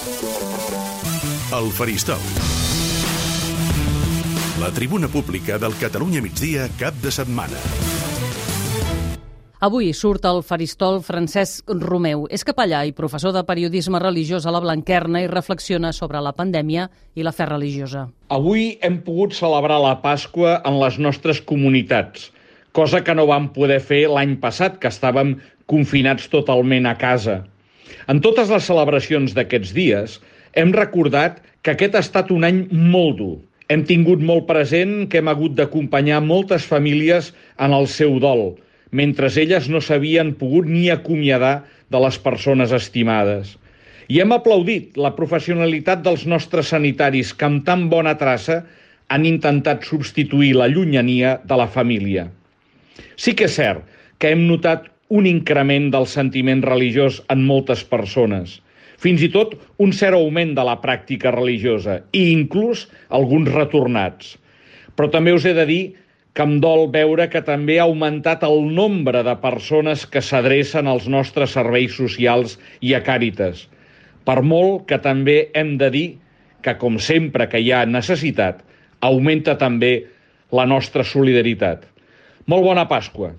El Faristol. La tribuna pública del Catalunya Migdia cap de setmana. Avui surt al Faristol Francesc Romeu. És capellà i professor de periodisme religiós a la Blanquerna i reflexiona sobre la pandèmia i la fe religiosa. Avui hem pogut celebrar la Pasqua en les nostres comunitats, cosa que no vam poder fer l'any passat, que estàvem confinats totalment a casa. En totes les celebracions d'aquests dies hem recordat que aquest ha estat un any molt dur. Hem tingut molt present que hem hagut d'acompanyar moltes famílies en el seu dol, mentre elles no s'havien pogut ni acomiadar de les persones estimades. I hem aplaudit la professionalitat dels nostres sanitaris que amb tan bona traça han intentat substituir la llunyania de la família. Sí que és cert que hem notat un increment del sentiment religiós en moltes persones, fins i tot un cert augment de la pràctica religiosa i inclús alguns retornats. Però també us he de dir que em dol veure que també ha augmentat el nombre de persones que s'adrecen als nostres serveis socials i a Càritas. Per molt que també hem de dir que, com sempre que hi ha necessitat, augmenta també la nostra solidaritat. Molt bona Pasqua!